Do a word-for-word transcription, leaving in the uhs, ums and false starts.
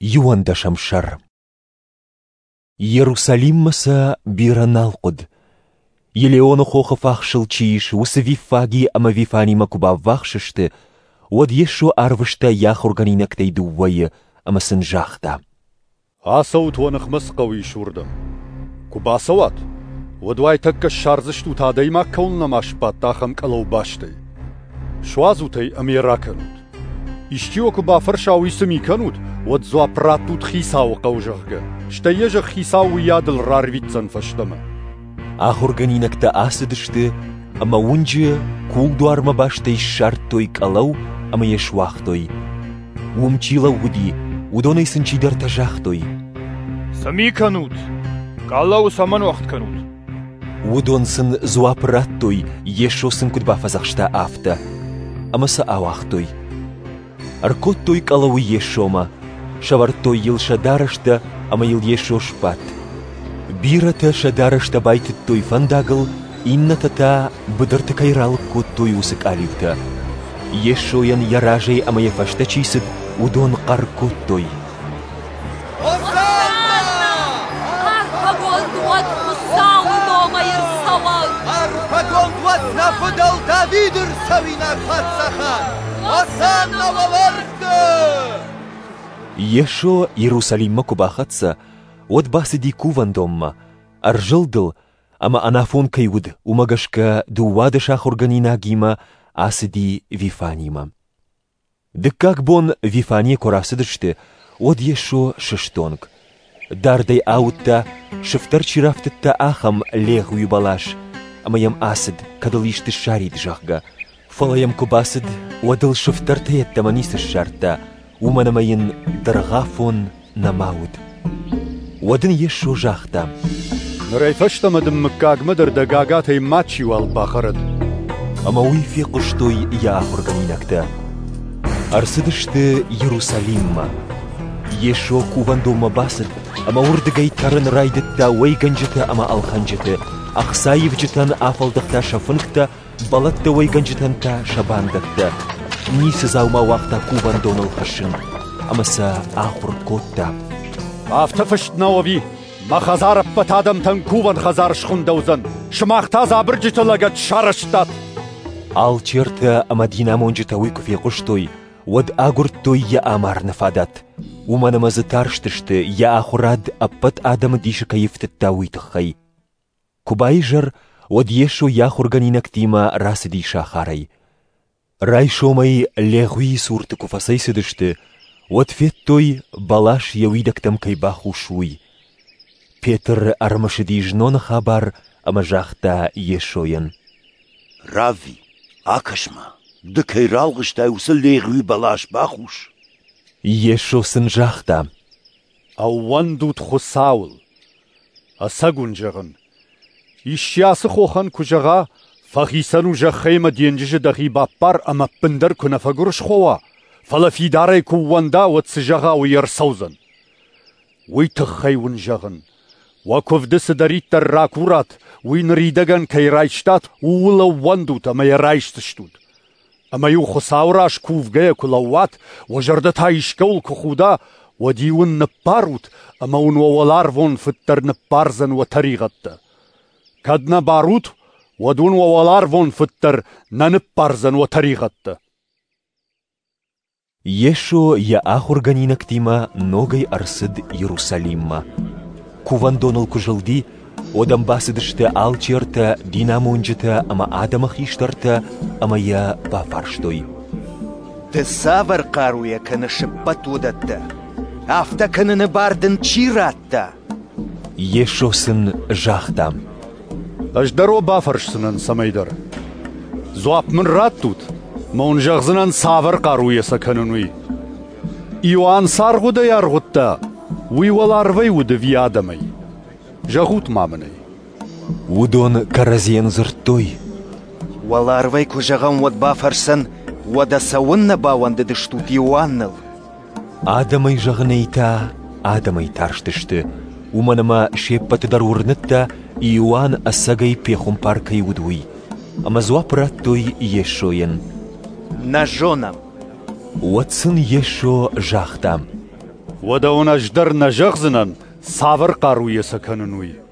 Иуӕндӕсӕм сӕр. Иерусалиммӕ сӕ бирӕ нал хъуыд. Елеоны хохы фахсыл чи ис, уыцы Виффаги ӕмӕ Вифанимӕ куы баввахс сты, уӕд Йесо арвыста йӕ ахуыргӕнинӕгтӕй дыууӕйы ӕмӕ сын загъта: «Ацӕут, уӕ ныхмӕ цы хъӕу ис, уырдӕм. Куы бацӕуат, уӕд уайтӕккӕ ссардзыстут, адӕймаг кӕуыл нӕма сбадт, ахӕм къӕлӕу бастӕй. Суадзут ӕй ӕмӕ йӕ ракӕнут. Исчи уӕ куы бафӕрса, уый цы ми кӕнут, уӕд дзуапп раттут, Хицауы хъӕуы, зӕгъгӕ, стӕй йӕ зӕгъ, Хицау уыйадыл рарвитдзӕн фӕстӕмӕ». Ахуыргӕнинӕгтӕ ацыдысты ӕмӕ уынджы кулдуармӕ бастӕй ссардтой къӕлӕу ӕмӕ йӕ суагътой. Уым чи лӕууыди, уыдонӕй сын чидӕртӕ загътой: «Цы ми кӕнут? Къӕлӕуы цӕмӕн уӕгъд кӕнут?» Уыдон сын дзуапп радтой, Йесо сын куыд бафӕдзӕхста, афтӕ, ӕмӕ сӕ ауагътой. Ӕркодтой къӕлӕуы Йесомӕ, сӕвӕрдтой йыл сӕ дарӕстӕ ӕмӕ йыл Йесо сбадт. Бирӕтӕ сӕ дарӕстӕ байтыдтой фӕндагыл, иннӕтӕ та быдырты кӕй ралыг кодтой, уыцы къалиутӕ. Йесойӕн йӕ разӕй ӕмӕ йӕ фӕстӕ чи цыд, уыдон хъӕр кодтой: «Осанна! Арфӕгонд уӕд Хуыцауы номӕй ӕрцӕуӕг! Арфӕгонд уӕд нӕ фыдӕл Давиды рцӕуинаг паддзахад! Осанна уӕлӕрвты!» Йесо Иерусалиммӕ куы бахӕццӕ, уӕд бацыди кувӕндонмӕ, ӕрзылд ыл, ӕмӕ ӕнафон кӕй уыд, уымӕ гӕсгӕ дыууадӕс ахуыргӕнинагимӕ ацыди Вифанимӕ. Дыккаг бон Вифанийӕ куы рацыдысты, уӕд Йесо сыстонг. Дардӕй ауыдта, сыфтӕр чи рафтыдта, ахӕм легъуи бӕлас, ӕмӕ йӕм ацыд, кӕд ыл исты ссарид, зӕгъгӕ. Фӕлӕ йӕм куы бацыд, уӕд ыл сыфтӕртӕ йеддӕмӕ ницы ссардта, уымӕн ӕмӕ йын дыргъафон нӕма уыд. Уӕд ын Йесо загъта: «Нырӕй фӕстӕмӕ дын мыггагмӕ дӕр дӕ гагатӕй мачиуал бахӕрӕд». Ӕмӕ уый фехъуыстой йӕ ахуыргӕнинӕгтӕ. Ӕрцыдысты Иерусалиммӕ. Йесо кувӕндонмӕ бацыд ӕмӕ уырдыгӕй тӕрын райдыдта уӕйгӕнджытӕ ӕмӕ ӕлхӕнджыты, ӕхцаивджытӕн афӕлдӕхта сӕ фынгтӕ, бӕлӕттӕ уӕйгӕнджытӕн та сӕ бандӕттӕ. Ницы дзаума уагъта кувӕндоныл хӕссын, ӕмӕ сӕ ахуыр кодта. «Афтӕ фыст нӕу ӕви, мӕ хӕдзар ӕппӕт адӕмтӕн кувӕн хӕдзар схуындӕуыдзӕн, сымах та дзы абырджыты лӕгӕт сарӕзтат!» Алчертӕ ӕмӕ динамонджытӕ уый куы фехъуыстой, уӕд агуырдтой йӕ амарыны фадат, уымӕн ӕмӕ дзы тарстысты, йӕ ахуырад ӕппӕт адӕмы дисы кӕй ӕфтыдта, уый тыххӕй. Куы баизӕр, уӕд Йесо йӕ ахуыргӕнинӕгтимӕ рацыди сахарӕй. Райсомӕй легъуийы цурты куы фӕцӕйцыдысты, уӕд федтой, бӕлас йӕ уидӕгтӕм кӕй бахус, уый. Петр ӕрымысыди зноны хабар ӕмӕ загъта Йесойӕн: «Равви, акӕс-ма, ды кӕй ралгъыстай, уыцы легъуи бӕлас бахус». Йесо сын загъта: «Ӕууӕндут Хуыцауыл. Ӕцӕг уын зӕгъын, исчи ацы хохӕн куы зӕгъа, фӕхицӕн у зӕххӕй ӕмӕ денджызы дӕхи баппар ӕмӕ ӕппындӕр куы нӕ фӕгуырысхо уа, фӕлӕ фидарӕй куы ууӕнда, уӕд цы зӕгъа, уый ӕрцӕудзӕн. Уый тыххӕй уын зӕгъын, уӕ куывды цыдӕриддӕр ракурат, уый ныридӕгӕн кӕй райстат, ууыл ӕууӕндут ӕмӕ йӕ райсдзыстут. Ӕмӕ-иу Хуыцауы раз кувгӕйӕ куы лӕууат, уӕ зӕрдӕ та искӕуыл куы худа, уӕд-иу ын ныппарут, ӕмӕ уын уӕ уӕларвон Фыд дӕр ныппардзӕн уӕ тӕригъӕдтӕ. Кӕд нӕ барут, уӕд уын уӕ уӕларвон Фыд дӕр нӕ ныппардзӕн уӕ тӕригъӕдтӕ». Йесо йӕ ахуыргӕнинӕгтимӕ ногӕй ӕрцыд Иерусалиммӕ. Кувӕндоныл куы зылди, уӕд ӕм бацыдысты алчертӕ, динамонджытӕ ӕмӕ адӕмы хистӕртӕ ӕмӕ йӕ бафарстой: «Ды цавӕр хъаруйӕ кӕныс ӕппӕт уыдӕттӕ? Афтӕ кӕныны бар дын чи радта?» Йесо сын загъта: «Ӕз дӕр уӕ бафӕрсдзынӕн цӕмӕйдӕр. Дзуапп мын раттут, ӕмӕ уын зӕгъдзынӕн, цавӕр хъаруйӕ сӕ кӕнын, уый. Иоанн цы аргъуыдӕй аргъуыдта, уый уӕларвӕй уыд ӕви адӕмӕй? Зӕгъут-ма мын ӕй». Уыдон кӕрӕдзийӕн дзырдтой: «Уӕларвӕй куы зӕгъӕм, уӕд бафӕрсдзӕн, уӕдӕ цӕуыннӕ баууӕндыдыстут Иоанныл?» Адӕмӕй зӕгъынӕй та адӕмӕй тарстысты, уымӕн ӕмӕ се ппӕты дӕр уырныдта, Иоанн ӕцӕгӕй пехуымпар кӕй уыд, уый. Ӕмӕ дзуапп радтой Йесойӕн: «Нӕ зонӕм». Уӕд сын Йесо загъта: Уӕдӕ уын ӕз дӕр нӕ зӕгъдзынӕн, цавӕр хъаруйӕ сӕ кӕнын, уый.